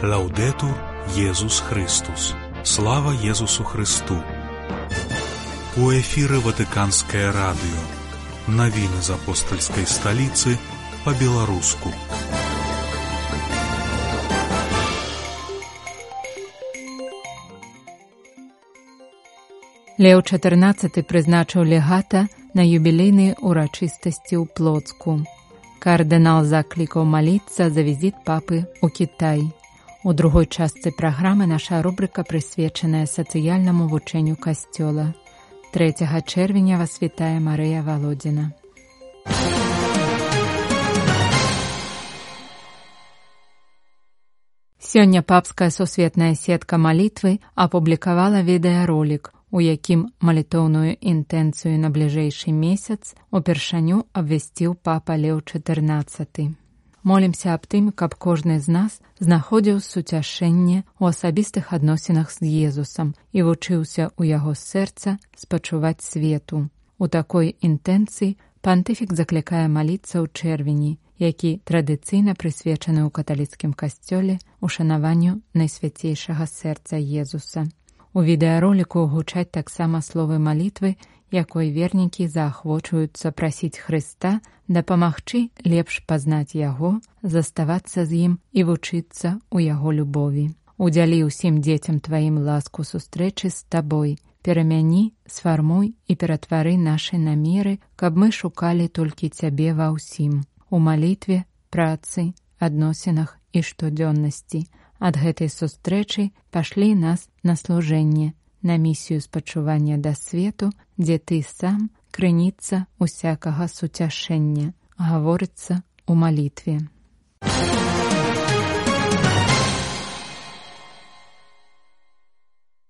Лаўдэтур Езус Христус. Слава Езусу Христу. У эфіры Ватыканскае радыё. Навіны з апостальскай сталіцы па-беларуску. Леў XIV прызначыў легата на юбілейныя ўрачыстасці ў Плоцку. Кардынал заклікаў маліцца за візіт папы ў Кітай. У другой частцы праграмы наша рубрыка прысвечаная сацыяльнаму вучэнню Касцёла. 3 чэрвеня вас вітае Марыя Валодзіна. Сёння папская сусветная сетка малітвы апублікавала відэаролік, у якім малітоўную інтэнцыю на бліжэйшы месяц упершыню абвясціў папа Леў XIV. Молімся аб тым, каб кожны з нас знаходзіў суцяшэнне ў асабістых адносінах з Езусам і вучыўся ў яго сэрца спачуваць свету. У такой інтэнцыі пантыфік заклікае маліцца ў чэрвені, які традыцыйна прысвечаны ў каталіцкім касцёле ушанаванню найсвяцейшага сэрца Езуса. У відэароліку гучаць таксама словы малітвы, якой вернікі заахвочваюцца прасіць Хрыста дапамагчы лепш пазнаць Яго, заставацца з ім і вучыцца ў Яго любові. Удзялі ўсім дзецям тваім ласку сустрэчы з табой, перамяні, сфармуй і ператвары нашы намеры, каб мы шукалі толькі цябе ва ўсім. У малітве, працы, адносінах і штодзённасці. Ад гэтай сустрэчы пашлі нас на служэнне, на місію спачування да свету, дзе ты сам крыніца усякага суцяшэння, гаворыцца ў малітве.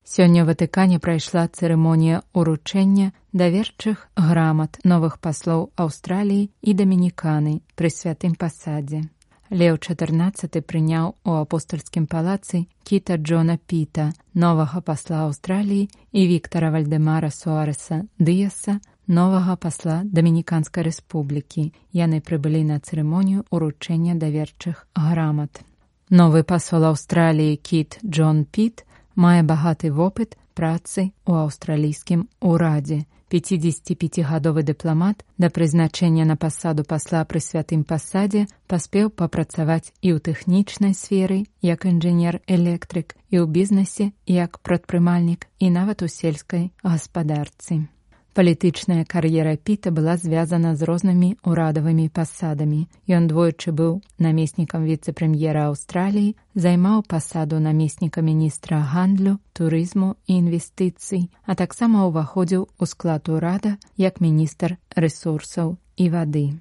Сёння ў Ватыкане прайшла цырымонія ўручэння даверчых грамат новых паслоў Аўстраліі і Дамініканы пры святым пасадзе. Леў XIV прыняў у апостальскім палацы Кіта Джона Піта, новага пасла Аўстраліі, і Віктара Вальдэмара Суарэса Дыяса, новага пасла Дамініканскай рэспублікі. Яны прыбылі на цырымонію ўручэння даверчых грамат. Новы пасол Аўстраліі Кіт Джон Піт мае багаты вопыт працы ў аўстралійскім урадзе. 55-гадовы дыпламат да прызначэння на пасаду пасла пры святым пасадзе паспеў папрацаваць і ў тэхнічнай сферы, як інжынер-электрык, і ў бізнесе, як прадпрымальнік, і нават у сельскай гаспадарцы. Палітычная кар'ера Піта была звязана з рознымі ўрадавымі пасадамі. Ён двойчы быў намеснікам віцэ-прэм'ера Аўстраліі, займаў пасаду намесніка міністра гандлю, турызму і інвестыцый, а таксама ўваходзіў у склад урада як міністр рэсурсаў і вады.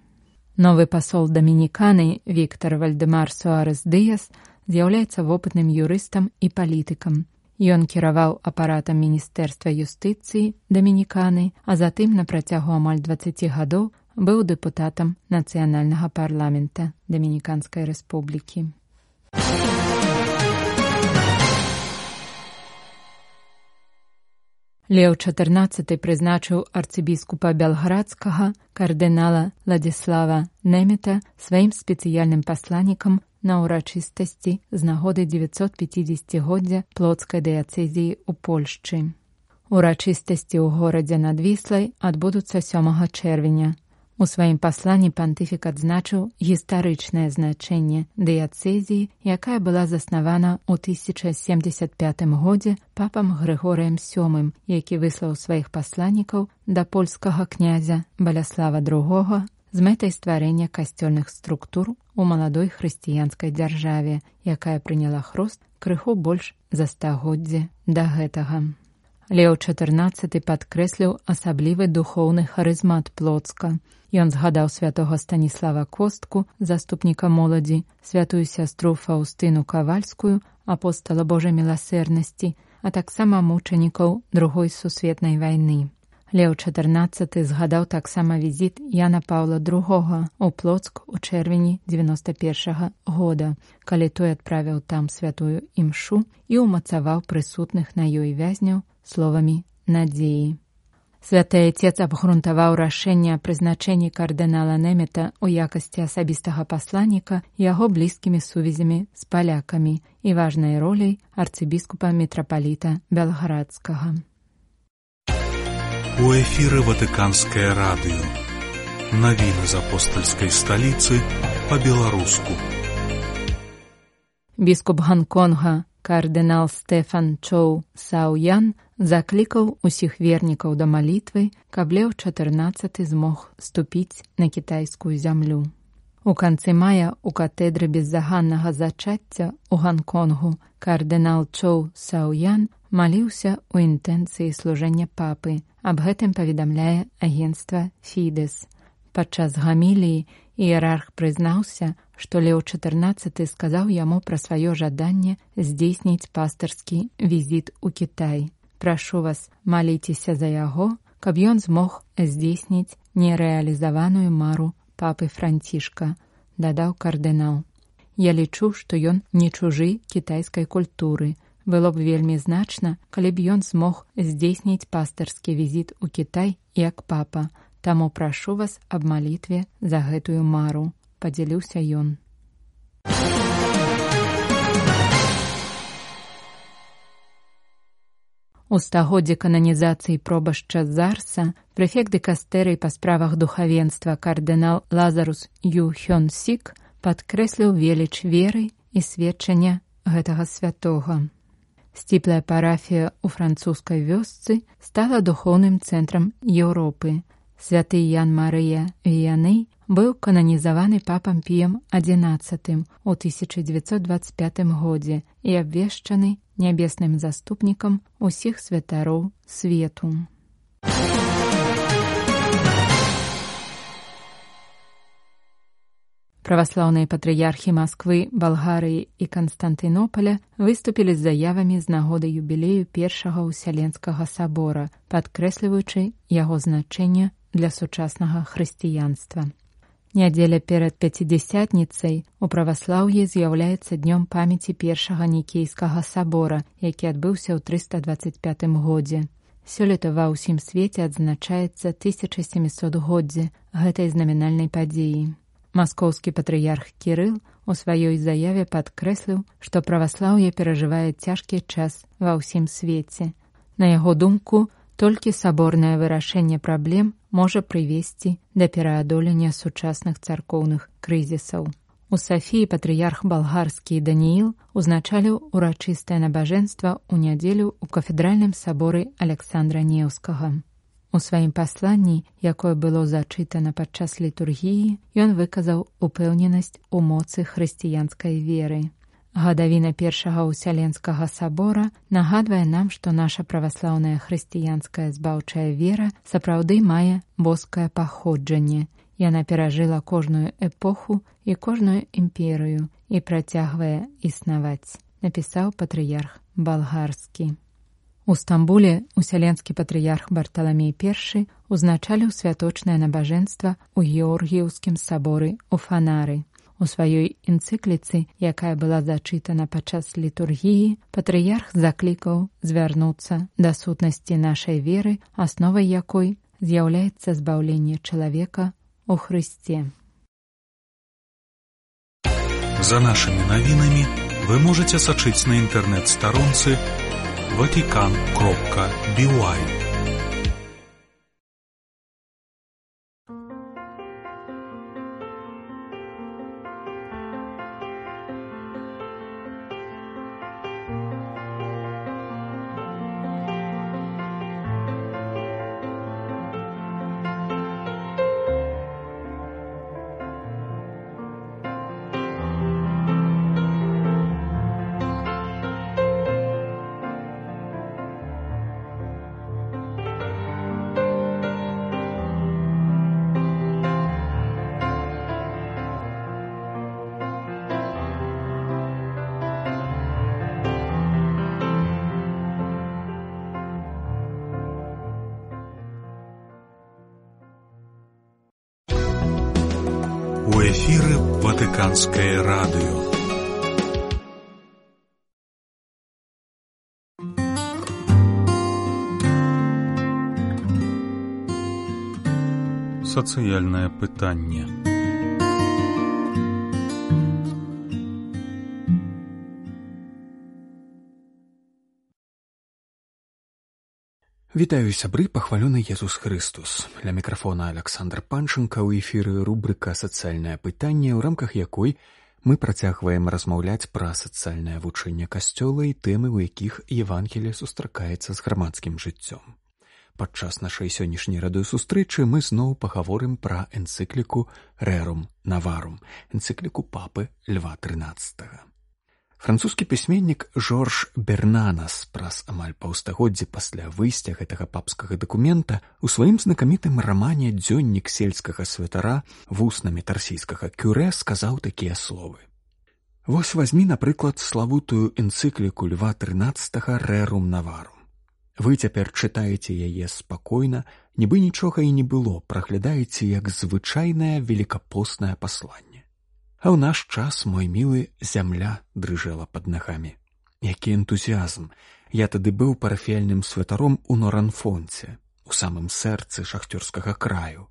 Новы пасол Дамініканы Віктар Вальдэмар Суарэс Дыяс з'яўляецца вопытным юрыстам і палітыкам. Ён кіраваў апаратам Міністэрства юстыцыі Дамініканы, а затым на працягу амаль 20 гадоў быў дэпутатам нацыянальнага парламента Дамініканскай рэспублікі. Леў XIV прызначыў арцыбіскупа Бялградскага кардынала Ладзіслава Немета сваім спецыяльным пасланнікам на ўрачыстасці з нагоды 950-годдзя Плоцкай дыяцэзіі ў Польшчы. Урачыстасці ў горадзе над Віслай адбудуцца 7 чэрвеня. У сваім пасланні пантыфік адзначыў гістарычнае значэнне дыяцэзіі, якая была заснавана ў 1075 годзе папам Грыгорыем VII, які выслаў сваіх пасланнікаў да польскага князя Баляслава II з мэтай стварэння касцёльных структур у маладой хрысціянскай дзяржаве, якая прыняла хрост крыху больш за стагоддзе да гэтага. Леў XIV падкрэсліў асаблівы духоўны харызмат Плоцка. Ён згадаў святога Станіслава Костку, заступніка моладзі, святую сястру Фаўстыну Кавальскую, апостала Божай міласэрнасці, а таксама мучанікаў Другой сусветнай вайны. Леў XIV згадаў таксама візіт Яна Паўла II у Плоцк у чэрвені 91 года, калі той адправіў там святую імшу і ўмацаваў прысутных на ёй вязняў словамі надзеі. Святы Отец абгрунтаваў рашэнне аб прызначэнні кардынала Немета ў якасці асабістага пасланніка яго блізкімі сувязямі з палякамі і важнай роляй арцыбіскупа-мітрапаліта Белградскага. У эфіры Ватыканскае радыё. Навіны з апостальскай сталіцы па-беларуску. Біскуп Ганконга кардынал Стэфан Чоу Сяоян заклікаў усіх вернікаў да малітвы, каб Леў XIV змог ступіць на кітайскую зямлю. У канцы мая ў катэдры беззаганнага зачацця ў Ганконгу кардынал Чоу Сяоян маліўся ў інтэнцыі служэння папы. Аб гэтым паведамляе агенцтва Фідес. Падчас гаміліі іерарх прызнаўся, што Леў XIV сказаў яму пра сваё жаданне здзейсніць пастырскі візіт у Кітай. Прашу вас, маліцеся за яго, каб ён змог здзейсніць нерэалізаваную мару папы Францішка, дадаў кардынал. Я лічу, што ён не чужы кітайскай культуры. Было б вельмі значна, калі б ён змог здзейсніць пастырскі візіт у Кітай як папа. Таму прашу вас аб малітве за гэтую мару, падзяліўся ён. У стагоддзе кананізацыі пробашча Зарса прэфект дыкастэрыі па справах духавенства кардынал Лазарус Ю Хён Сік падкрэсліў веліч веры і сведчання гэтага святога. Сціплая парафія ў французскай вёсцы стала духоўным цэнтрам Еўропы. Святы Ян Марыя Віяны быў кананізаваны папам Піем XI у 1925 годзе і абвешчаны нябесным заступнікам усіх святароў свету. Праваслаўныя патрыярхі Масквы, Балгарыі і Канстантынополя выступілі з заявамі з нагоды юбілею Першага Ўсяленскага сабора, падкрэсліваючы яго значэнне для сучаснага хрысціянства. Нядзеля перад Пяцідзясятніцай у праваслаўі з'яўляецца днём памяці Першага Нікейскага сабора, які адбыўся ў 325 годзе. Сёлета ва ўсім свеце адзначаецца 1700-годдзе гэтай знамінальнай падзеі. Маскоўскі патрыярх Кірыл у сваёй заяве падкрэсліў, што праваслаўе перажывае цяжкі час ва ўсім свеце. На яго думку, толькі саборнае вырашэнне праблем можа прывесці да пераадолення сучасных царкоўных крызісаў. У Сафіі патрыярх балгарскі Данііл узначаліў урачыстае набажэнства ў нядзелю ў кафедральным саборы Аляксандра Неўскага. У сваім пасланні, якое было зачытана падчас літургіі, ён выказаў упэўненасць у моцы хрысціянскай веры. Гадавіна Першага Ўсяленскага сабора нагадвае нам, што наша праваслаўная хрысціянская збаўчая вера сапраўды мае боскае паходжанне. Яна перажыла кожную эпоху і кожную імперыю і працягвае існаваць, напісаў патрыярх балгарскі. У Стамбуле ўсяленскі патрыярх Барталамей I узначаліў святочнае набажэнства ў Георгіеўскім саборы ў Фанары. У сваёй энцыкліцы, якая была зачытана падчас літургіі, патрыярх заклікаў звярнуцца да сутнасці нашай веры, асновай якой з'яўляецца збаўленне чалавека у Хрысце. За нашымі навінамі вы можаце сачыць на інтэрнэт-старонцы vatican.by. У эфіры Ватыканскае радыё. сацыяльнае пытанне. Вітаю, сябры, пахвалёны Езус Хрыстус. Ля мікрафона Аляксандр Панченка, у эфіры рубрыка «Сацыяльнае пытанне», у рамках якой мы працягваем размаўляць пра сацыяльнае вучэнне Касцёла і тэмы, у якіх Евангелие сустракаецца з грамадскім жыццём. Падчас нашай сённяшняй радыёсустрэчы мы зноў пагаворым пра энцыкліку «Rerum Novarum», энцыкліку папы Льва XIII. Французскі пісьменнік Жорж Бернанас праз амаль паўстагоддзі пасля выйсця гэтага папскага дакумента у сваім знакамітым рамане «Дзённік сельскага святара» вуснамі тарсійскага кюрэ сказаў такія словы. Вось вазьмі, напрыклад, славутую энцыкліку Льва XIII «Rerum Novarum». Вы цяпер чытаеце яе спакойна, нібы нічога і не было, праглядаеце як звычайнае велікапоснае пасланне. А ў наш час, мой мілы, зямля дрыжэла пад нагамі. Які энтузіазм! Я тады быў парафіяльным святаром у Норанфонце, у самым сэрцы шахцёрскага краю.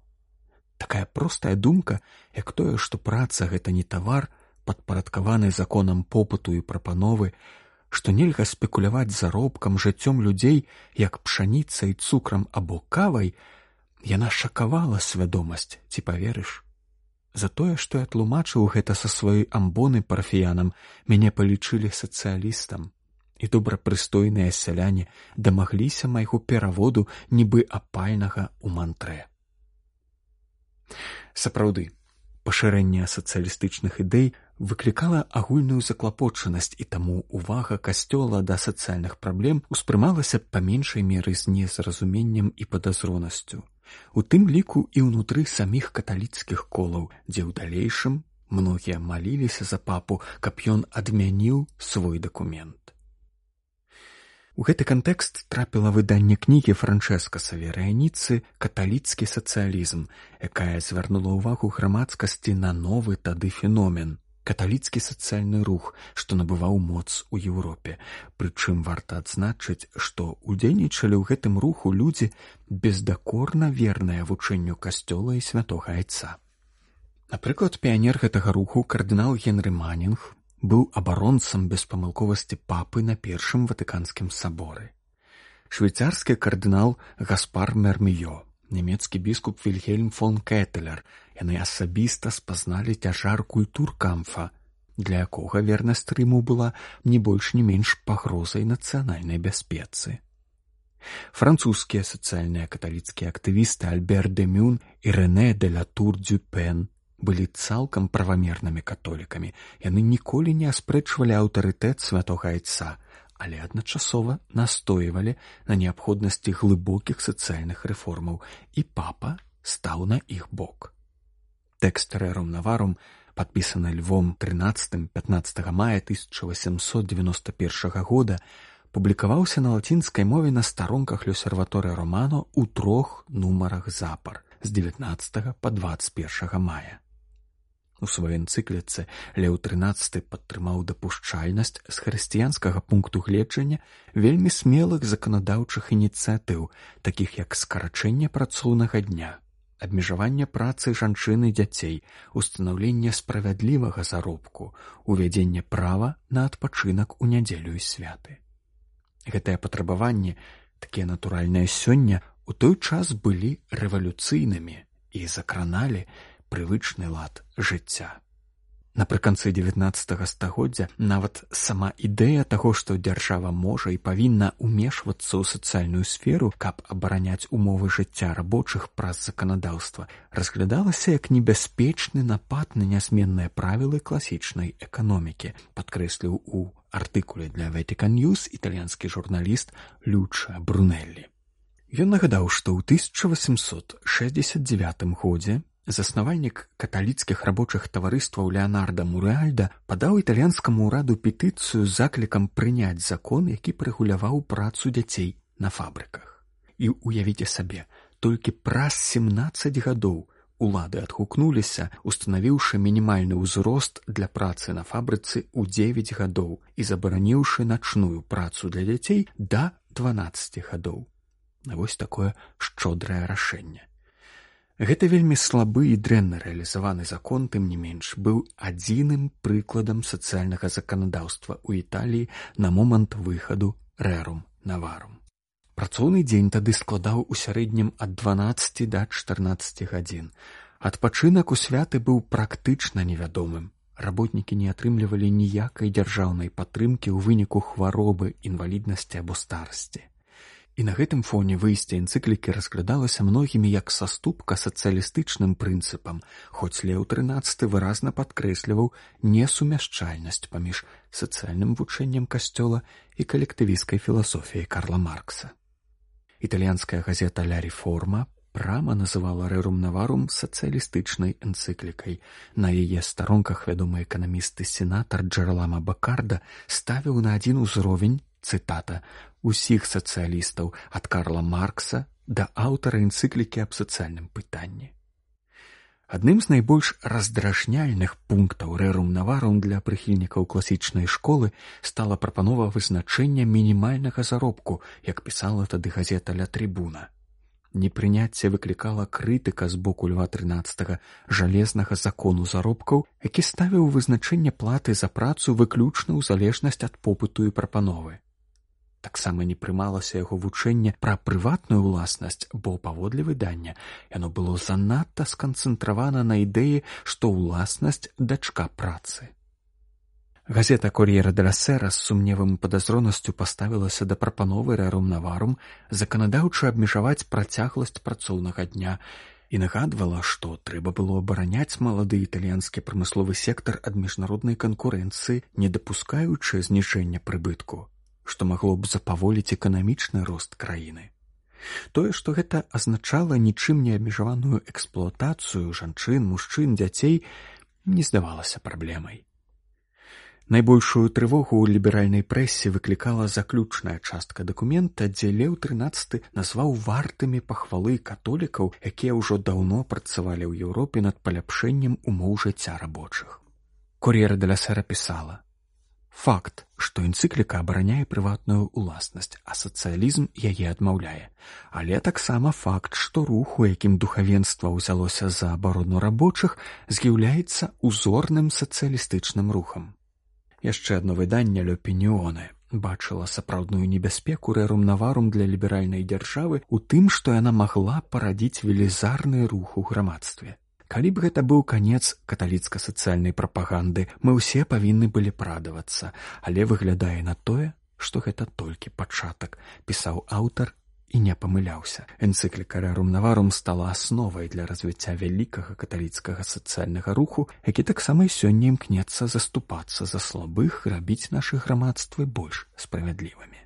Такая простая думка, як тое, што праца гэта не тавар, падпарадкаваны законам попыту і прапановы, што нельга спекуляваць заробкам, жыццём людзей, як пшаніцай, цукрам або кавай, яна шакавала свядомасць, ці паверыш? За тое, што я тлумачыў гэта са сваёй амбоны парафіянам, мяне палічылі сацыялістам, і добрапрыстойныя сяляне дамагліся майго пераводу нібы апальнага ў мантрэ. Сапраўды, пашырэнне сацыялістычных ідэй выклікала агульную заклапочанасць, і таму увага Касцёла да сацыяльных праблем успрымалася па меншай меры з незразуменнем і падазронасцю. У тым ліку і ўнутры саміх каталіцкіх колаў, дзе ў далейшым многія маліліся за папу, каб ён адмяніў свой дакумент. У гэты кантэкст трапіла выданне кнігі Франчэска Саверыяніцы «Каталіцкі сацыялізм», якая звярнула ўвагу грамадскасці на новы тады феномен – каталіцкі сацыяльны рух, што набываў моц у Еўропе. Прычым варта адзначыць, што удзельнічалі ў гэтым руху людзі бездакорна верныя вучэнню Касцёла і святога Айца. Напрыклад, піянер гэтага руху кардынал Генры Манінг быў абаронцам беспамылковасці папы на Першым Ватыканскім саборы. Швейцарскі кардынал Гаспар Мерміё, нямецкі біскуп Вільгельм фон Кетелер, яны асабіста спазналі цяжар культуркамфа, для якога вернасць Рыму была не больш не менш пагрозай нацыянальнай бяспецы. Французскія сацыяльныя каталіцкія актывісты Альбер де Мюн і Рэне де ла Тур-Дюпен былі цалкам правамернымі католікамі. Яны ніколі не аспрэчвалі аўтарытэт святога Айца, але адначасова настойвалі на неабходнасці глыбокіх сацыяльных рэформаў, і папа стаў на іх бок. Тэкст «Rerum Novarum», падпісаны Львом XIII 15 мая 1891 года, публікаваўся на лацінскай мове на старонках «L'Osservatore Romano» у 3 нумарах запар з 19 па 21 мая. У сваёй энцыкліцы Леў XIII падтрымаў дапушчальнасць з хрысціянскага пункту гледжання вельмі смелых заканадаўчых ініцыятыў, такіх як скарачэнне працоўнага дня, абмежаванне працы жанчын і дзяцей, устанаўленне справядлівага заробку, увядзенне права на адпачынак у нядзелю і святы. Гэтыя патрабаванні, такія натуральныя сёння, у той час былі рэвалюцыйнымі і закраналі прывычны лад жыцця. Напрыканцы 19 стагоддзя нават сама ідэя таго, што дзяржава можа і павінна ўмешвацца ў сацыяльную сферу, каб абараняць умовы жыцця рабочых праз заканадаўства, разглядалася як небяспечны напад на нязменныя правілы класічнай эканомікі, падкрэсліў у артыкуле для Vatican News італьянскі журналіст Люча Брунеллі. Ён нагадаў, што ў 1869 годзе заснавальнік каталіцкіх рабочых таварыстваў Леанарда Мурэальда падаў італьянскаму ўраду петыцыю з заклікам прыняць закон, які прэгуляваў працу дзяцей на фабрыках. І уявіце сабе, толькі праз 17 гадоў улады адгукнуліся, устанавіўшы мінімальны ўзрост для працы на фабрыцы ў 9 гадоў і забараніўшы начную працу для дзяцей да 12 гадоў. Вось такое шчодрае рашэнне. Гэты вельмі слабы і дрэнна рэалізаваны закон, тым не менш, быў адзіным прыкладам сацыяльнага заканадаўства ў Італіі на момант выхаду Рэрум Наварум. Працоўны дзень тады складаў у сярэднім ад 12 да 14 гадзін. Адпачынак у святы быў практычна невядомым. Работнікі не атрымлівалі ніякай дзяржаўнай падтрымкі ў выніку хваробы, інваліднасці або старасці. І на гэтым фоне выйсце энцыклікі разглядалася многімі як саступка сацыялістычным прынцыпам, хоць Леў XIII выразна падкрэсліваў несумяшчальнасць паміж сацыяльным вучэннем касцёла і калектывісцкай філасофіяй Карла Маркса. Італьянская газета «Ля Ріформа» прама называла «Рэрум Наварум» сацыялістычнай энцыклікай. На яе старонках вядомы эканаміст і сенатар Джералама Бакарда ставіў на адзін узровень, цытата, усіх сацыялістаў ад Карла Маркса да аўтара энцыклікі аб сацыяльным пытанні. Адным з найбольш раздражняльных пунктаў «Рэрум Наварум» для прыхільнікаў класічнай школы стала прапанова вызначэння мінімальнага заробку, як пісала тады газета «Ля Трибуна». Непрыняцце выклікала крытыка з боку Льва XIII жалезнага закону заробкаў, які ставіў вызначэнне платы за працу выключна ў залежнасць ад попыту і прапановы. Таксама не прымалася яго вучэнне пра прыватную ўласнасць, бо, паводле выдання, яно было занадта сканцэнтравана на ідэі, што ўласнасць дачка працы. Газета «Кор'єра деля Сера» з сумневам і падазронасцю паставілася да прапановы «Рэрум Наварум» заканадаўча абмежаваць працягласць працоўнага дня і нагадвала, што трэба было абараняць малады італьянскі прамысловы сектар ад міжнароднай канкурэнцыі, не дапускаючы зніжэння прыбытку, што магло б запаволіць эканамічны рост краіны. Тое, што гэта азначала нічым не абмежаваную эксплуатацыю жанчын, мужчын, дзяцей, не здавалася праблемай. Найбольшую трывогу ў ліберальнай прэсе выклікала заключная частка дакумента, дзе Леў XIII назваў вартымі пахвалы католікаў, якія ўжо даўно працавалі ў Еўропе над паляпшэннем умоў жыцця рабочых. «Кор'єра деля Сера» пісала: «Факт, што энцыкліка абараняе прыватную ўласнасць, а сацыялізм яе адмаўляе. Але таксама факт, што рух, у якім духавенства ўзялося за абарону рабочых, з'яўляецца узорным сацыялістычным рухам». Яшчэ адно выданне «L'Opinione» бачыла сапраўдную небяспеку «Рэрум Наварум» для ліберальнай дзяржавы ў тым, што яна магла парадзіць велізарны рух у грамадстве. Калі б гэта быў канец каталіцка-сацыяльнай прапаганды, мы ўсе павінны былі прадавацца, але выглядае на тое, што гэта толькі пачатак, пісаў аўтар і не памыляўся. Энцыкліка «Рэрум Наварум» стала асновай для развіцця вялікага каталіцкага сацыяльнага руху, які таксама і сёння імкнецца заступацца за слабых, рабіць нашы грамадствы больш справядлівымі.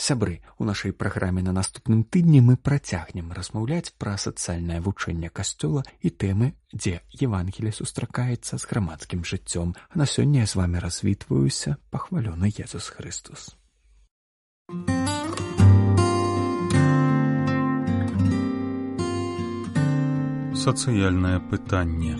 Сябры, у нашай праграме на наступным тыдні мы працягнем размаўляць пра сацыяльнае вучэнне касцёла і тэмы, дзе Евангелле сустракаецца з грамадскім жыццём. А на сёння я з вамі развітваюся. Пахвалёны Езус Христос. Сацыяльнае пытанне.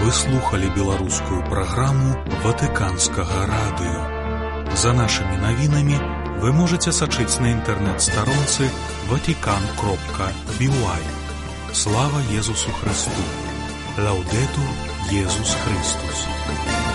Вы слухали беларускую праграму Ватыканскага радыё. За нашымі навінамі вы можаце сачыць на інтэрнэт-старонцы vatican.by. Слава Езусу Христу! Лаўдэтур Езус Христус!